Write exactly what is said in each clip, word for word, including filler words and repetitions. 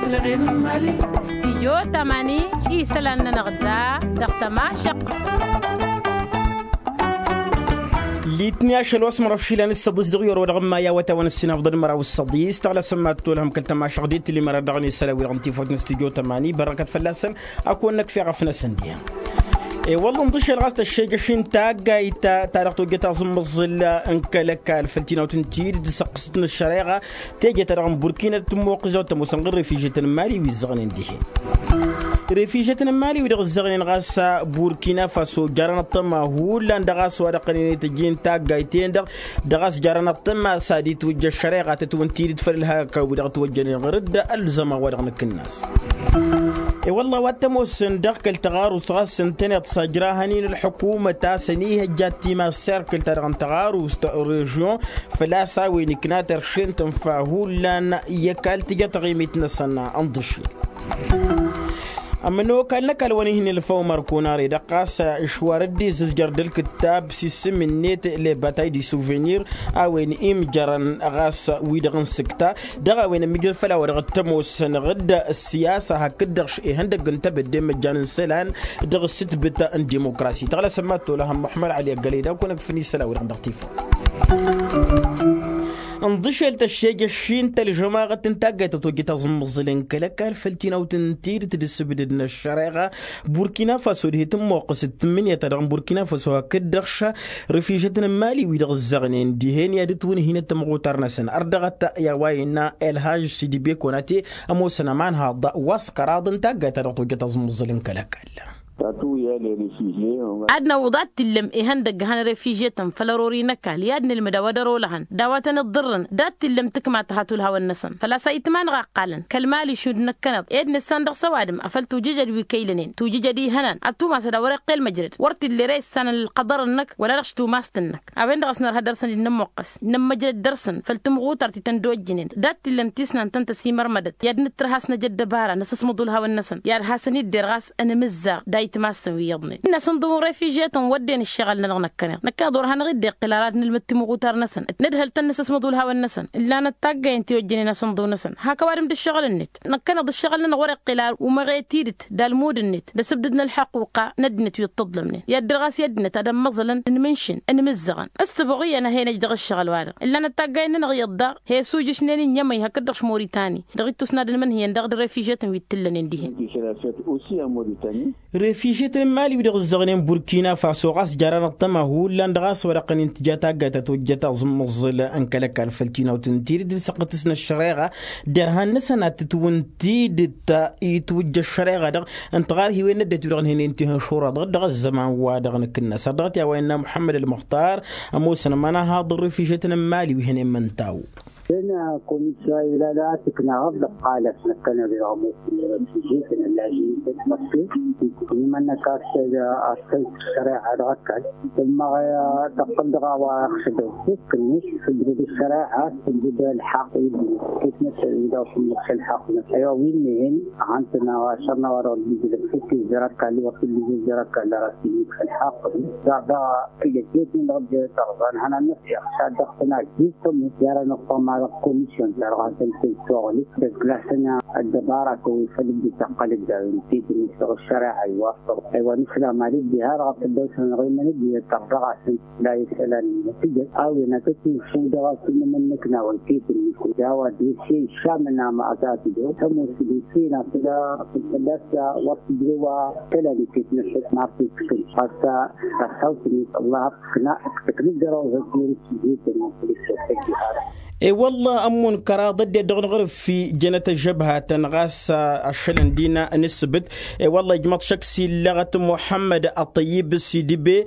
Stidyo tamani isălan-nănăɣ da dăɣ-tămašăɣt. Litni ašăl wa s-mărăf išilan s-săḍis dăɣ-i orăwădăɣ n-maya wătawăn s-sinhăfḍăd măraw s-săḍis tăɣlasăm ma t-tolhăm kăl-tămašăɣt d-tilli mărăr dăɣ-nisălan wi-dăɣ n-tifot n-stidyo tamani bărăkăt fălla-săn. Ad-kăwăn-năkf i-ɣăf-năsăn dihen i-wălla ǝnḍǝšel ɣas tăššejăš-in taggayt ta-dăɣ tojjăt aẓǝmmăẓǝl n-kăl-ăkall făll-tinawt n-tidǝt d-săqqǝst n-ăššăreɣa. Teje-ta-dăɣ n-burkina tǝmmuqqǝs dăɣ-tămoosăn ɣǝr-refižetăn n-mali wi ǝzzăɣnen dihen. Refižetăn n-mali wi-dăɣ ǝzzăɣnen ɣas burkina faso jarăn ăṭṭăma hullan dăɣ-a-s wa dăɣ-tăn-in-tăjjin taggayt-en-dăɣ dăɣ-a-s jarăn ăṭṭăma s-ad-itwǝjja ăššăreɣa tătwǝn tidǝt făll-ălhakăw wi-dăɣ ătwăjjănen ɣǝr-dd ălzăman wa dăɣ-nǝkǝnnas. I-wălla wa t-ămoosăn dăɣ-kăl-tăɣarust ɣas ǝntăneḍ s-ajrahăn-in ălḥukumăt a-s ănihăjja timassert kăl-ta-dăɣ n-tăɣarust režyon făl-a-s a-wen ikna teršent ǝnfa hullan i-ăkall tǝja taɣimit-năsăn ǝnḍǝšel. Ămănokal n-ăkall wa n-ihǝnni ălfăw mărkunare dăɣ-ɣas išwar dd-izǝzjăr d-ălkǝttab s-isǝm-net lebatay di suvenir a-wen imjărăn ɣas wi-dăɣ n-sǝkta dăɣ-a-wen ămmijrăd făll-a-wa dăɣ-t-ămoosăn ɣǝd ăssiyasa hakd-dăɣ ihăndăgg n-tebădde n-măjjan n-isălan dăɣ-ǝssǝtbǝt n-dimukrasi tăɣlăsăm ma t-tolăhăm muḥămmăd ali ăggălăy d-a-kăwăn-ăkfǝn isălan-wi-dăɣ dăɣ-tifăw. Ǝnḍǝšel tăššejăššin tălžămaɣăt n-taggayt tătojjăt aẓǝmmăẓǝl n-kăl-ăkall făll-tinawt n-tidǝt d-ǝssǝbdǝd n-ăššăreɣa burkina faso dihe tǝmmoqqǝsăt tǝmmǝnǝya-ta-dăɣ n-burkina faso hakd-dăɣ š-rǝfižăt n-mali wi-dăɣ ǝzzăɣnen dihen i-ad-ǝtwǝnhǝynăt tămɣutar-năsăn ărdăɣăt i-a-wa innă elhaj sidibe konate ămoosăn ămanhaḍ wa s-kăraḍ n-taggayt-ta-dăɣ tojjăt aẓǝmmăẓǝl n-kăl-ăkall. Ad-năwwăḍ ad-t-illăm ihăndăgg han refižetăn făll-ărori n-ăkall i-ad-nǝlmǝd a-wa dăr-olăhăn d-a-wa tăn-iḍḍǝrrăn d-ad-t-illăm tǝkma tăha tulhawăn-năsăn făl-a-s a itmanăɣ a ǝqqalăn kăl-mali šund năkkăneḍ ed nǝssan dăɣ-săwadǝm afăl tujǝjăd wi kăylănen tujǝjăd ihănan ad-tumasăd a wăr-iqqel măjrăd wăr t-illa ere issanăn ălqăḍăr-năk wăla dăɣ-s tumast-năk. A-wen-dăɣ a-s nărha dăr-săn i-nămmuqqăs nămmăjrăd dăr-săn făll-tǝmɣutăr ti tăn-dd-ojjǝnen dat-t-illăm tisnant ta n-tăsimărmădăt i-ad-nǝttǝr hasnăjăd dăbara nǝsǝsmăḍ ulhawăn-năsăn i-ad-hasăn-idder ɣas ănmǝzzaɣ d-ayǝtmassăn wi iyyăḍnen n-asǝnḍǝw n-refižetăn wădden ǝššăɣǝl-nănăɣ năkkăneḍ năkkăneḍ wăr hanăɣ-dd-iqqǝl ara ad-nǝlmǝd timɣutar-năsăn d-nǝdhǝl-tăn nǝsǝsmăḍ ulhawăn-năsăn ǝllanăt taggayen ti ojjănen asǝnḍǝw-năsăn hak ăwadǝm d-ǝššăɣǝl-net. Năkkăneḍ ǝššăɣǝl-nănăɣ wăr-iqqǝl ara umăɣe tidǝt d-almud-net d-asǝbdǝd n-ălḥăqquqa n-ăddinăt wi ǝṭṭăḍlămnen i-ad-dăr ɣas i-ăddinăt ad-ămmăẓălăn ǝnmǝnšǝn ǝnmǝzzăɣăn ǝssǝbɣǝyăn a hen-ăj dăɣ-ǝššăɣǝl-wa-dăɣ ǝllanăt taggayen-nănăɣ iyyăḍ daɣ he-suj ǝšnen ǝnniyămăy hakd-dăɣ š-moritani dăɣ-ittus n-ad-ǝnmǝnhǝyăn dăɣ-d-refižetăn wi t-ǝllănen dihen. Refižetăn n-mali wi-dăɣ ǝzzăɣnen burkina faso ɣas jarăn ăṭṭăma hullan dăɣ-a-s wăr-iqqăn intǝja taggayt ta tojjăt aẓǝmmăẓǝl n-kăl-ăkall făll-tinawt n-tidǝt d-săqqǝtǝs n-ăššăreɣa derhan-năsăn ad-tǝtwǝn tidǝt itwǝjja ăššăreɣa-dăɣ ǝnta ɣar hiwen n-ăddinăt wi-dăɣ ǝnhǝynen tihǝnšura-dăɣ dăɣ-ăzzăman-wa-dăɣ nǝkǝnnăs har dăɣ-t i-a-wa innă muḥămmăd ălmăxtar ămoosăn ămanăhaḍ n-refižetăn n-mali wi hănen măntaw. Ena komisyon ila da tǝknaɣăḍ d-ăqqalăt năkkăneḍ-i dăɣ-ămoosăn i-refižetăn ăllažin-tăn măkke. Imănnăk a-s a-s tăjj ăššăreɣa dăɣ-ăkall tǝmmăɣ tăqqǝl dăɣ-a-wa ăxšădăw. Kǝnneš tǝjrǝd ăššăreɣa tǝjrǝd ălḥaqq i-dd-nǝs kitnăt wi dăɣ-tǝmmǝk s-ălḥaqq-năt aywa wi ǝnnehen. Ɣantăn ašăr n-a-wa dăɣ-dd-ijlăb s-ǝkk izjăr ăkall wăr t-dd-ijlăb izjăr ăkall dăɣ-as tǝmmǝk s-ălḥaqq-năt daɣ daɣ. Tǝjăt i-dd-nǝnɣăd tăɣẓa n-ihănan n-ăfyăɣ šad dăɣ-tănajjit tămut i-ara nǝṭṭăma dăɣ-komisyon ta-dăɣ hasăn-tăn-tuɣǝlǝt tăgglasăn ăddăbara-tăn wi făl dd-tăqqăl dd-a-wen tidǝnit dăɣ-ăššăreɣa iwafăɣ. Aywa nǝslam ad-dd-iha dăɣ-tăddăwt-nănăɣ imăn dd-iyyăt tărdăɣ-asăn la isălan-nănăɣ tǝjăt a-wen ad-tăt-infǝw dăɣ-asǝnnǝmăn n-ǝknawăn tidǝnit d-a-wa dese iššamăn ama ad-ta-tǝjăw tămoos d-ǝnta-in a făl-a făl-a-s wăr tǝjrew a tălanit i-tinǝfhǝt n-ar t-ǝkkǝn ɣas tasawt-net ăllah ăkna ǝknǝd dăr-awzăt i-ǝnta. E-wălla ămmun kăraḍ ăddinăt dăɣ-năɣrǝf fi jănăt ăžžăbhatăn ɣas ašălăn dina n-ǝssǝbǝt. E-wălla ijmăḍ šăkk s-illăɣăt muḥămmăd ăṭṭăyyǝb s-idǝbe.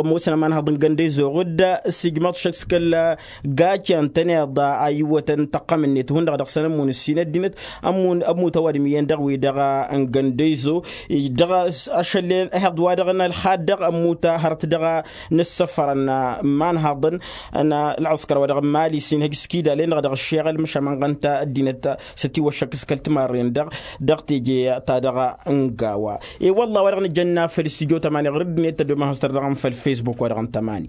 Ămoosăn ămanhăḍ n-găndăyzoɣ d-s-ijmăḍ šăkk s-kăl-gacăn tăneḍ a iwwătăn tăqqăm-net hundăɣ dăɣ-săn ămmun ǝssin ăddinăt ămmut ăwadǝm iyyăn dăɣ-wi-dăɣ n-găndăyzo. Dăɣ-ašăllen ehăḍ wa dăɣ-nălxad dăɣ-ămmut hărăt dăɣ-nǝssăfărăn n-imanhăḍăn n-ălɣăskăr wa dăɣ-mali s-inhăj s-kidalen-dăɣ dăɣ-ăššeɣăl măšan mănɣăn-t ăddinăt s-ătiwăššăk s-kăl-timarren-dăɣ dăɣ-teje-ta-dăɣ n-gawa. E-wălla wa dăɣ-nǝjănna făll-studyo tămani ɣur-dd-net tădomăhăstăr dăɣ-n făll-facebook wa dăɣ-n tămani.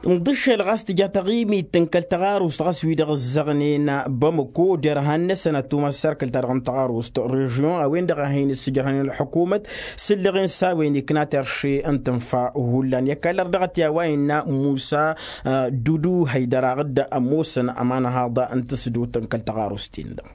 N-dd-išel ɣas tǝja taɣimit n-kăl-taɣarust ɣas wi-dăɣ ǝzzăɣnen bamăko derhan-năsăn ad-tumas s-erkăl-ta-dăɣ n-taɣarust režion a-wen-dăɣ a hin-ǝssǝjrăhnen ălḥukumăt. S-ǝllăɣen s-a-wen ikna terše n-tǝnfa hullan i-ăkall ărdăɣăt i-a-wa innă musa dudu haydăraɣ-dd ămoosăn ămanăhaḍ n-tǝsdut n-kăl-taɣarust-in-dăɣ.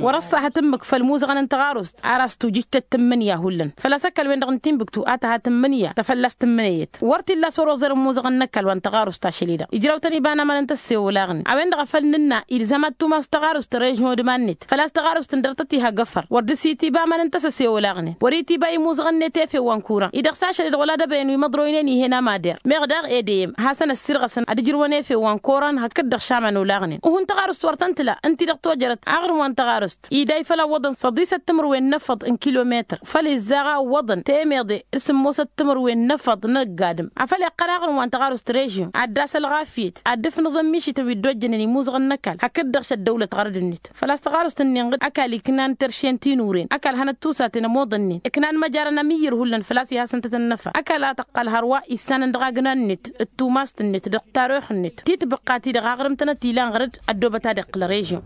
Wăr-ăṣṣahăt ǝmmǝk făll-imuzăɣăn n-taɣarust ar a-s tujǝjtăt tǝmmǝnǝya hullan făl-a-s ăkall-wen-dăɣ n-tinbǝktu a tăha tǝmmǝnǝya ta fălla-s tǝmmǝnǝyăt. Wăr t-illa a-s wăr-oẓăr imuzăɣăn n-ăkall wa n-taɣarust ašăl-i-dăɣ ijraw-tăn iba n-aman n-tăssewălaɣnen a-wen-dăɣ a făl nǝnna ilzam ad-tumas taɣarust režion d-iman-net. Făl-a-s taɣarust ǝndăr-tăt iha găfăr wăr dd-sit iba aman n-tăsăsewălaɣnen wăr-itiba imuzăɣăn-net efew wa n-kuran-i-dăɣ s-ašăl-i-dăɣ wăla d-ăbăyăn wi măḍroynen ih'-en amadăr. Meɣ daɣ edeyăm hasăn-ăssirɣăsăn ad-ǝjrǝwăn efew wa n-koran hakd-dăɣ šaman olaɣnen uhǝn taɣarust wăr tăn-tǝla ǝnta-i-dăɣ tojărăt aɣrǝm wa n-taɣarust iday făll-a ǝwwăḍăn săḍisăt timǝrwen n-efăḍ n-kilometăr făll-izzaɣ a ǝwwăḍăn temeḍe d-sǝmmosăt timǝrwen n-efăḍ n-ăgg-adǝm. Afăl iqqăl aɣrǝm wa n-taɣarust režion ad-dd-asălɣafyăt ad-dd-ǝfnǝẓăn mišităn wi dd-ojjănen imuzăɣăn n-ăkall hakd-dăɣ šăddăwlăt ɣărăd-net. Făl-a-s taɣarust-ǝnnin ɣǝd ăkall iknan terše n-tinure ăkall hanăt-tusaten ămoḍănnen ǝknan măjarăn amǝyyǝr hullan făl-a-s ihasăn-tăt ănnăfa ăkall a tăqqăl hărwa issanăn dăɣ-agna-net d-tumast-net dăɣ-taruɣt-net titbǝqqa-ti-dăɣ aɣrǝm-tăn ad-t-ilan ɣărăd. Ăddoobăt ad-iqqǝl ărežion.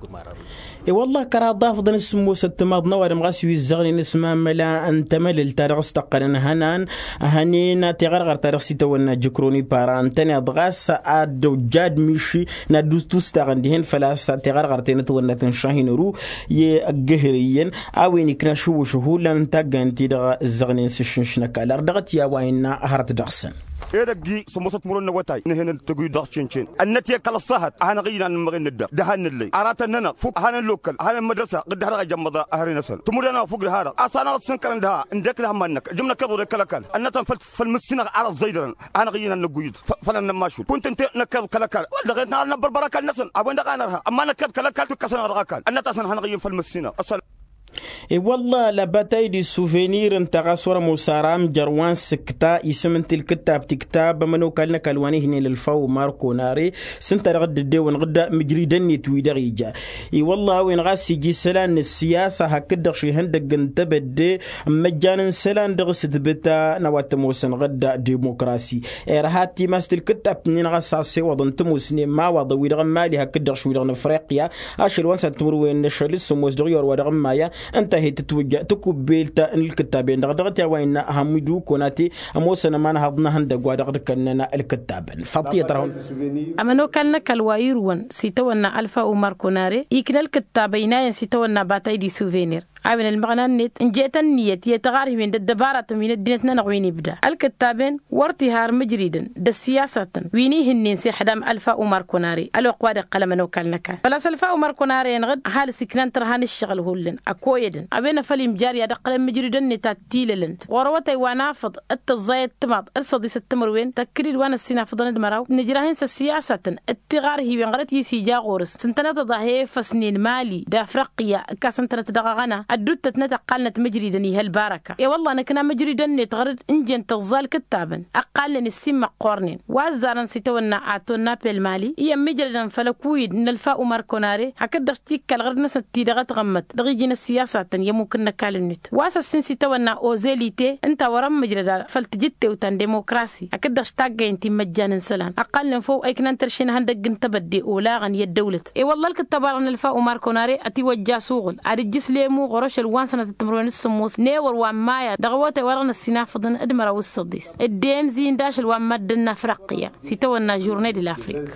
I-wălla kăraḍ afḍăn s-sǝmmosăt timaḍ n-ăwadǝm ɣas wi ǝzzăɣnen s-mamăla n-temălǝlt ta dăɣ-s tăqqănăn hănan hănen tiɣărɣăr ta dăɣ-s itawănna jǝkroni para ǝntăneḍ ɣas ad-ojjad miši n-ad-dd-tustaɣăn dihen făl-a-s tiɣărɣăr tenătwănnăt n-šahinăru i-ăggǝhǝr iyyăn a-wen ikna šǝwwǝšǝhu lan n-taggayăn-ti-dăɣ ǝzzăɣnen s-ǝššǝnš n-ăkall ardăɣăt i-a-wa innă hărăt dăɣ-săn. Edăgg-i sămoosăt murăn n-awătay n-ehănăn tăguyǝd dăɣ-s căncen ănnăt i-kăl-ăṣṣahăt a hanăɣ-iyyăn ad-nǝmmăɣen n-ăddăɣ dăhan n-ǝllăy aratăn-nănăɣ fuk a hanăn lokăl a hanăn mădrăsa ɣǝddăh dăɣ-ejămmăḍ. Ahăre-năsăn tǝmudănăɣ fuk dăha-dăɣ a-s hanăɣ-dd-sǝnkărăn dăha ǝndek lăhămma-năk ǝjǝm năkkeḍ wăr-e kăl-ăkall ănnătăn făll-mǝssinăɣ ar ăẓẓăydărăn a hanăɣ-iyyăn ad-năgguyyǝd. Făll-ănnămmašul kunt ǝnta năkkeḍ kăl-ăkall wăr dăɣ-e-tăn ad-năbbărbăr ăkall-năsăn a-wen-dăɣ a nărha ămma năkkeḍ kăl-ăkall tǝkkăsăn-aɣ dăɣ-ăkall ănnăt-asăn ad-hanăɣ-iyyăn făll-mǝssinăɣ. Ăssălam. E-wălla la bataille du souvenir ǝnta ɣas wăr-ămoos ara amjăr wa n-sǝkta isǝm n-tilkǝttab tiktab ămănokal n-ăkall wa n-ihnen ălfau marko nare s-ǝnta dăɣ-dd-ăddewănăɣ-dd mǝjridăn-net wi dăɣ-ija. I-wălla a-wen ɣas ija isălan n-ăssiyasa hakd-dăɣ šihăndăgg n-tebădde n-imăjjan n-isălan dăɣ-s tǝbǝta n-a-wa t-ămoosănăɣ-dd demokrasi. Irha timas tilkǝttab-tǝnnin ɣas a-s ewăḍăn tămoosnen imawaḍăn wi-dăɣ n-imali hakd-dăɣ š-wi-dăɣ n-afriqya ašăl wa n-săr timǝrwen n-ašăl s-sămoos dăɣ-i orwa dăɣ-n maya. Ǝnta a hi-tǝtwǝjja takubbelt n-ǝlkǝttaben-dăɣ dăɣ-t i-a-wa innă hămmidu konate ămoosăn ămanhăḍ n-ehăndăgg wa dăɣ-dd-kănnăn ǝlkǝttaben. Faḍt iyyăt ărhun. Ămănokal n-ăkall wa irǝwăn s-itawănna alfa umar konare ikna ǝlkǝttab ăynayăn s-itawănna batay d-isuvenir a-wen ălmăɣna-net ǝnjet ǝnniyăt i-taɣarhiwen d-ăddăbaratăn wi n-ăddinăt-nănăɣ wi n-ibda ǝlkǝttaben. Wăr t-iha ar mǝjridăn d-ăssiyasatăn wi n-ihǝnnen s-ixdam alfa umar konare ălwăqq wa dd-iqqăl ămănokal n-ăkall făl-a-s alfa umar konare-enăɣ-dd ăhalǝs iknan tărha n-ǝššăɣǝl hullan ăkoyădăn a-wen a făl imjar i-ad-ǝqqǝlăn mǝjridăn-net ad-t-ilălăn ɣur-awătay wa n-afăḍ d-tăẓẓayăt timaḍ d-săḍisăt timǝrwen tăkkǝd-dd wa n-ăssinafăḍăn d-măraw nǝjrah-in s-ăssiyasatăn d-tiɣarhiwen ɣărăt i-s ija ɣur-s s-ǝntăneḍ-ăḍ a he-efăsnen mali d-afriqya ǝkkas ǝntănăt dăɣ-aɣăna ădduuttătnăt ăqqalnăt mǝjridăn ih' ălbarăka. I-wălla nǝkna mǝjridăn-net ɣăr-dd ǝnjăn tǝẓẓa ǝlkǝttabăn ăqqalnen ǝssin-măqqornen wa ăzzarăn s-itawănna ato n-apel mali iyyăn mǝjrădăn făll-ăkuyǝd n-ălfa umar konare hakd-dăɣ tikkal ɣăr-dd-năsnăt ti-dăɣ ătɣămmăt dăɣ-iji n-ăssiyasatăn i-ămmuk n-ăkall-net wa s-ăssin s-itawănna ozelite ǝnta wăr-ămmǝjrăd făll-tijǝttewt ta n-demokrasi hakd-dăɣ s-taggayăn ti n-imăjjan n-isălan ăqqalnen făw a iknan tărše n-ehăndăgg n-tebădde olaɣăn i-ăddăwlăt. I-wălla ălkǝttab arăn ălfa umar konare ătiwăjja s-uɣǝl ad-ǝjjǝs lemu ɣur-ašăl wa n-sănatăt timǝrwen d-sǝmmos n-ewăr wa n-maya dăɣ-awătay wa dăɣ-năssinafăḍăn d-măraw s-săḍis d-emzi n-dašăl wa n-mad-dănna afriqya s-itawănna žurne de l-afrik.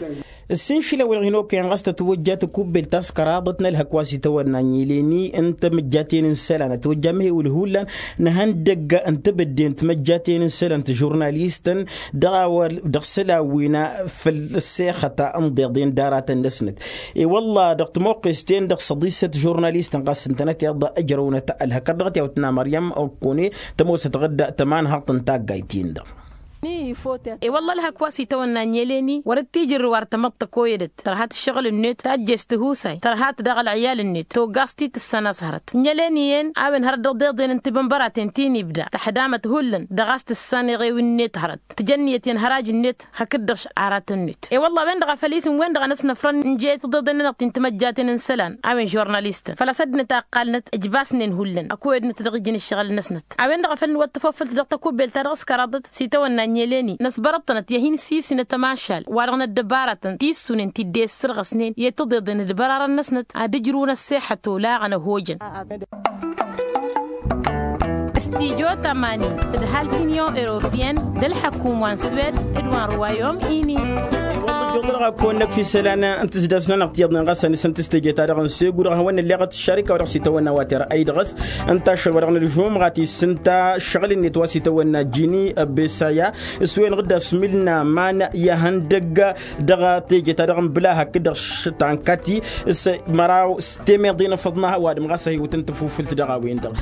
Ǝssin šilăwăl ɣinokăyăn ɣas tătwăjja takubbelt ta s-kăraḍăt n-ălhăk wa s-itawănna n-ileni n-tamǝjjaten n-isălan ătwăjja amhewǝl hullan n-ehăndăgg n-tebădde n-timăjjaten n-isălan tižurnalistăn dăɣ-a-wa dăɣ-isălan wi n-făll-ăssexăt n-iḍeḍen d-aratăn-năsnăt. I-wălla dăɣ-timoqqes-ten-dăɣ săḍisăt žurnalistăn ɣas ǝntănăt iḍa ǝjrăwnăt ălhăkăr dăɣ-t i-awătna măryăm ăkkone tămoosăt ɣǝdda tămanhăḍt n-taggayt-in-dăɣ. I-wălla ălhăk wa s-itawănna n-eleni wăr-dd-tijǝrrǝw ar tămăḍt tăkoyădăt tărha-t ǝššăɣǝl-net tajjest tihusay tărha-t daɣ ălɣiyal-net togaẓ-t-i tǝssan a-s hărăt n-eleni-en a-wen hărăt dăɣ-deḍen n-tibănbăraten ti n-ibda tăḥdamăt hullan dăɣ-a-s tǝssan eɣew-net hărăt tǝjănniyăt i-ănhăraj-net hakd-dăɣ aratăn-net. I-wălla a-wen-dăɣ a făl isǝm-wen-dăɣ a năsnăfrăn n-jeyăt tiḍeḍen-nănăɣ ti n-timăjjaten n-isălan a-wen žurnalistăn făl-a-s ăddinăt a ǝqqalnăt ǝjbasnen hullan ăkoyădnăt dăɣ-iji n-ǝššăɣǝl-năsnăt. A-wen-dăɣ a făl nǝwăt tafăffălt dăɣ-takubbelt ta dăɣ-s kăraḍăt s-itawănna n-eleni. Năsbărăḍ-tănăt i-ad-hin-sisǝnăt ămašal wa-dăɣ n-ăddăbaratăn ti ǝssunen ti dd-e-ǝssărɣăsnen i-tǝḍeḍen d-ibărarăn-năsnăt ad-ǝjrǝwăn ăṣṣeḥăt olaɣăn ăhojăn. Stijo tămani d-ăhalk unyon europeyăn d-ălḥăkum wa n-swed d-wa n-ruwayom ini. Ijjuḍ-dăɣ ad-kăwăn-năkf isălan n-tǝzdăsnănăɣ tiyyăḍnen ɣas a nǝsǝnt s-teje-ta-dăɣ n-segu dăɣ-hawăn-nălleɣăt šarika wa dăɣ-s itawănna wa terăy dăɣ-s ǝnta ašăl wa dăɣ-nǝžumɣat isǝnta šăɣǝl-net wa s-itawănna jini ăbbesaya s-wen-dăɣ dd-asmǝlna man i-ahăndăgg dăɣ-teje-ta-dăɣ n-bǝla hakd-dăɣ s-tankati s-măraw s-temeḍe n-afăḍna ăwadǝm ɣas a hi-iwǝtăn tafufǝlt dăɣ-a-wen-dăɣ.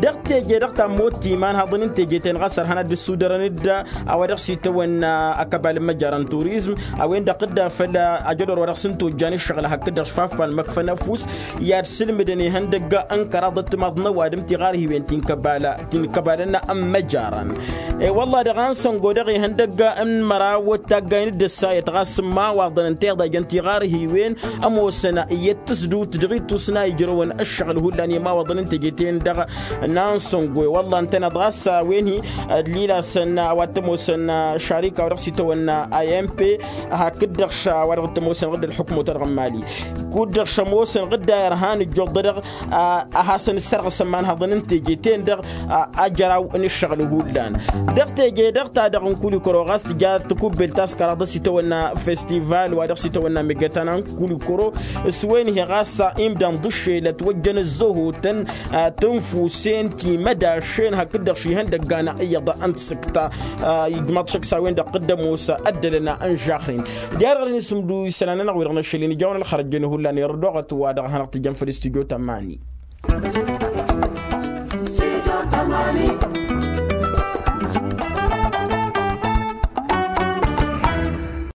Dăɣ-teje-dăɣ ta n-motti iman haḍăn n-teje-ten ɣas ărhan ad-dd-ǝssudărăn-dd a-wa dăɣ-s itawănna ăkăbal n-măjara n-turizm a-wen-dăɣ dd-afăl ajădor wa dăɣ-s n-tojjan ǝššăɣǝl hakd-dăɣ šfaf ban măkfăn ăfuss i-ad-sǝlmǝdăn ihăndăgg n-kăraḍ ăttămaḍ n-ăwadǝm tiɣarhiwen ti n-kăbala ti n-kăbala n-măjaran. E-wălla-hi dăɣ-a n-săngo dăɣ-ihăndăgg n-măraw d-taggayn d-ǝssayăt ɣas n-imawaḍăn ǝnta iḍa ijăn tiɣarhiwen ămoosăn i-ăttǝsdǝwt dăɣ-itusna ijrăwăn ăššăɣǝl hullan i-imawaḍăn n-teje-ten-dăɣ n-a n-săngo i-wălla ǝntăneḍ ɣas a-wen-hi ădlilasăn a-wa t-ămoosăn šarika wa dăɣ-s itawănna imp hakd-dăɣ š-a-wa dăɣ-t-ămoosăn ɣǝdd-ălḥukmăt-wa-dăɣ n-mali kud-dăɣ šămoosăn ɣǝdda irhan ǝjjuḍ-dăɣ a hasăn-ǝssărɣǝsăn imanhăḍăn n-teje-ten-dăɣ. Ajăraw n-ǝššăɣǝl hullan dăɣ-teje-dăɣ ta-dăɣ n-kulikoro ɣas tǝja tikubbelt ta s-kăraḍ s-itawănna festival wa dăɣ-s itawănna megătana n-kulikoro s-wen-hi ɣas imdan ḍǝššel ătwăjjăn ăzzăhotăn tǝnfusen timădašen hakd-dăɣ šihăndăggan iyyăḍ n-tasǝkta. Ijmaḍ šăkk s-a-wen-dăɣ dd-ămoos ăddălăn n-žaxren. Diha-dăɣ dăr-hin-sǝmdu isălan-nănăɣ wi-dăɣ n-ašăl-in ijawăn ălxărăjjăn hullan irădoɣăt wa dăɣ-hanăɣ-tǝjjăn făll-stujo tămani.